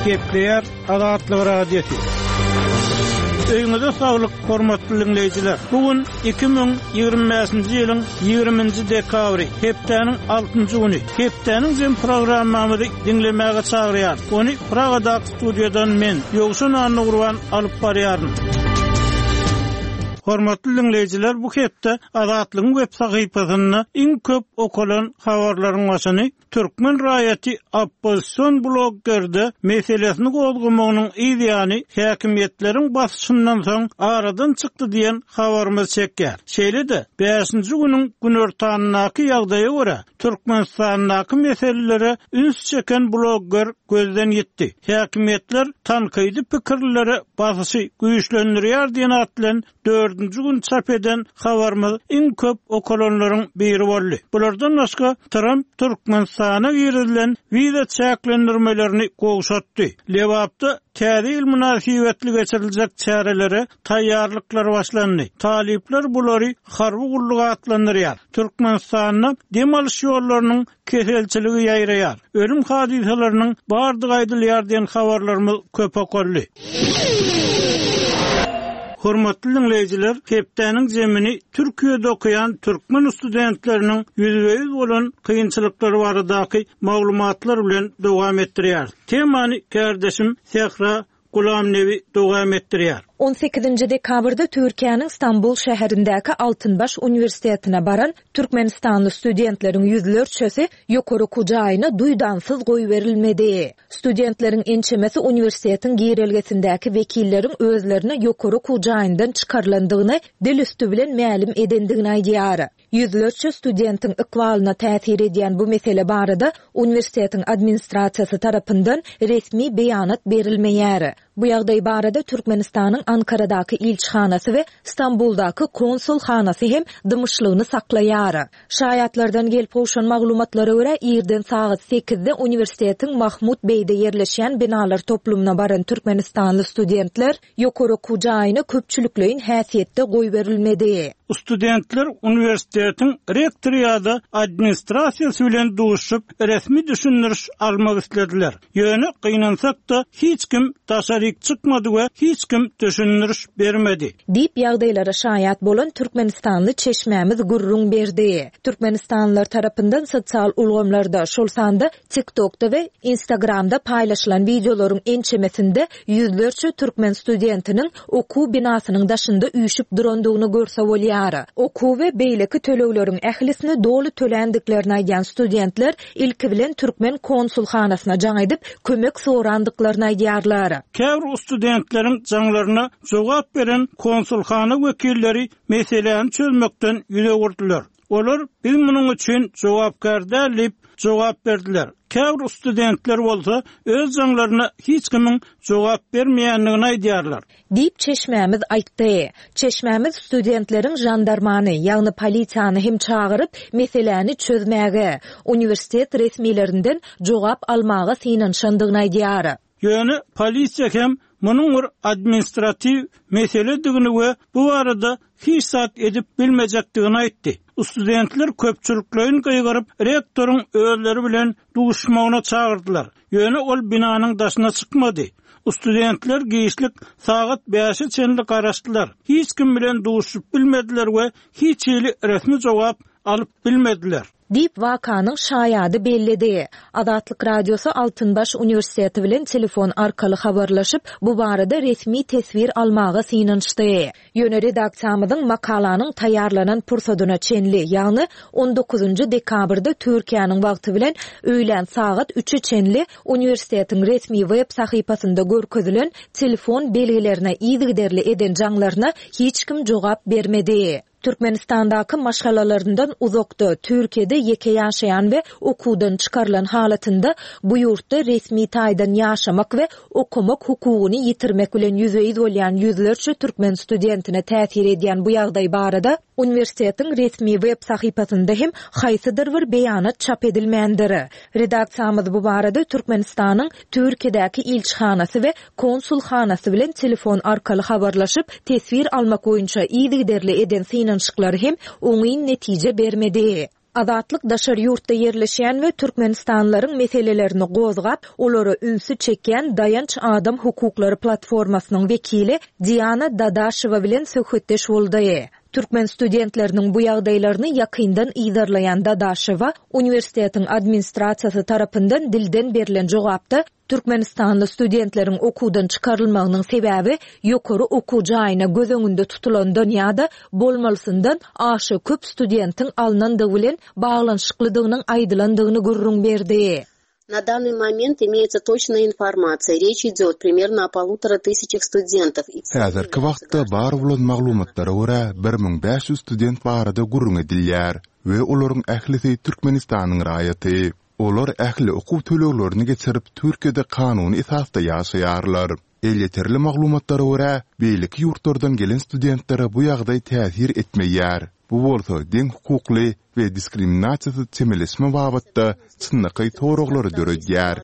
Gepleýär Azatlyk Radiosy. Öýüňize saglyk, hormatly diňleýjiler! Bu gün 2025-nji ýylyň 20-nji dekabry, hepdäniň altynjy güni. Hepdäniň jem programmamyzy diňlemäge çagyrýarys. Ony Pragadaky studiýadan men, Ýowşan Annagurban alyp barýaryn. Hormatly diňleýjiler, bu hepde Azatlygyň web sahypasynda iň köp okalan habarlaryň başyny türkmen raýaty oppozision bloggerde meselesini gozgamagynyň yz ýany häkimiýetleriň basyşyndan soň aradan çykdy diýen habarymyz çekýär. Şeýle-de, bäşinji günüň günortanyndaky ýagdaýa görä, Türkmenistandaky meselelere üns çeken blogger gözden ýitdi. Häkimiýetler tankydy pikirlilere basyşy güýçlendirýär diýen at bilen dördünji gün çap eden habarymyz iň köp okalanlaryň biri boldy. Bulardan başga, Tramp Türkmenistana girizilen wiza çäklendirmelerini gowşatdy. Lebapda Täze ýyl mynasybetli geçiriljek çärelere taýýarlyklar başlandy. Talyplar bulary harby gulluk atlandyrýar. Türkmenistanda dem alyş ýollarynyň keselçiligi ýaýraýar. Ölüm hadysalarynyň bardygy aýdylýar diýen habarlarymyz köp okaldy. Hormatly diňleýjiler, hepdäniň zemini Türkiýede okaýan türkmen studentleriniň ýüzbe-ýüz bolan kynçylyklary baradaky maglumatlar bilen dowam etdirýäris. Temany kärdeşim Sähra Gulamnebi dowam etdirýär. On sekizinji dekabrda Türkiýäniň Stambul şäherindäki Altynbaş uniwersitetine baran türkmenistanly studentleriň ýüzlerçesi ýokary okuw jaýyna duýdansyz goýberilmedi. Studentleriň ençemesi uniwersitetiň girelgesindäki wekilleriň özlerine ýokary okuw jaýyndan çykarylandygyny dil üsti bilen mälim edendigini aýdýar. Ýüzlerçe studentiň ykbalyna täsir edýän bu mesele barada uniwersitetiň administrasiýasy tarapyndan resmi beýanat berilmeýär. Bu ýagdaý barada Türkmenistanyň Ankaradaky ilçihanasy we Stambuldaky konsulhanasy hem dymyşlygyny saklaýar. Şaýatlardan gelip gowşan maglumatlara görä, irden sagat sekizde uniwersitetiň Mahmut Beýde ýerleşýän binalar toplumyna baran türkmenistanly studentler Ýokary okuw jaýyna köpçülikleýin häsiýetde goýberilmedi. Studentler uniwersitetiň rektory ýa-da administrasiýasy bilen duşuşyp, resmi düşündiriş almak islediler. Ýöne, gynansak-da, hiç kim daşaryk çykmady we hiç kim düşündiriş bermedi. Diýip, ýagdaýlara şaýat bolan türkmenistanly çeşmämiz gürrüň berdi. Türkmenistanlylar tarapyndan sosial ulgamlarda, şol sanda TikTokda we Instagramda paýlaşylan wideolaryň ençemesinde ýüzlerçe türkmen studentiniň okuw binasynyň daşynda üýşüp durandygyny görse bolýar. Okuw we beýleki tölegleriň ählisini doly töländiklerini aýdýan studentler ilki bilen türkmen konsulhanasyna jaň edip, kömek sorandyklaryny aýdýarlar. Käbir studentleriň jaňlaryna jogap beren konsulhana wekilleri meseläni çözmekden ýüz öwürdiler. Olar biz munuň üçin jogapkär däl diýip, jogap berdiler. Käbir studentler bolsa öz jaňlaryna hiç kimiň jogap bermeýändigini aýdýarlar. Diýip, çeşmämiz aýtdy. Çeşmämiz studentleriň žandarmany, ýagny polisiýany hem çagyryp, meseläni çözmäge, uniwersitet resmilerinden jogap almaga synanyşandygyny aýdýar. Ýöne polisiýa hem munuň bir administratiw meseledigini we bu barada hiç zat edip bilmejekdigini aýtdy. Studentler köpçülikleýin gygyryp, rektoryň özleri bilen duşmagyna çagyrdylar. Ýöne ol binanyň daşyna çykmady. Studentler giçlik sagat bäşe çenli garaşdylar. Hiç kim bilen duşup bilmediler we hiç hili resmi jogap alyp bilmediler. Diýip, wakanyň şaýady belledi. Azatlyk Radiosy Altynbaş uniwersiteti bilen telefon arkaly habarlaşyp, bu barada resmi teswir almaga synanyşdy. Ýöne redaksiýamyzyň makalanyň taýýarlanan pursadyna çenli, ýagny on dokuzynjy dekabrda Türkiýäniň wagty bilen öýlän sagat üçe çenli uniwersitetiň resmi web sahypasynda görkezilen telefon belgilerine yzygiderli eden jaňlaryna hiç kim jogap bermedi. Türkmenistandaky maşgalalaryndan uzakda, Türkiýede ýeke ýaşaýan we okuwdan çykarylan halatynda bu ýurtda resmi taýdan ýaşamak we okamak hukugyny ýitirmek bilen ýüzbe-ýüz bolýan ýüzlerçe türkmen studentine täsir edýän bu ýagdaý barada uniwersitetiň resmi web sahypasynda hem haýsydyr bir beýanat çap edilmändir. Redaksiýamyz bu barada Türkmenistanyň Türkiýedäki ilçihanasy we konsulhanasy bilen telefon arkaly habarlaşyp, teswir almak boýunça yzygiderli eden synanyşyklary hem oňyn netije bermedi. Azatlyk daşary ýurtda ýerleşýän we türkmenistanlylaryň meselelerini gozgap, olara ünsi çekýän Daýanç adam hukuklary platformasynyň wekili Diana Dadaşewa bilen söhbetdeş boldy. Türkmen studentleriniň bu ýagdaýlaryny ýakyndan yzarlaýan Dadaşewa uniwersitetiň administrasiýasy tarapyndan dilden berlen jogapda türkmenistanly studentleriň okuwdan çykarylmagynyň sebäbi ýokary okuw jaýyna göz öňünde tutulandan ýa-da bolmalysyndan aşa köp studentiň alnandygy bilen baglanyşyklydygynyň aýdylandygyny gürrüň berdi. Na dannyý moment imeýetsa toçnaýa informasiýa, reç idýot primerno o polutora tysyaçah studentow. Häzirki wagtda bar bolan maglumatlara görä, 1500 student barada gürrüň edilýär we olaryň ählisi Türkmenistanyň raýaty. Olar ähli okuw töleglerini geçirip, Türkiýede kanuny esasda ýaşaýarlar. Elýeterli maglumatlara görä, beýleki ýurtlardan gelen studentlere bu ýagdaý täsir etmeýär. Bu bolsa deň hukukly we diskriminasiýasyz çemeleşme babatda çynlakaý soraglary döredýär.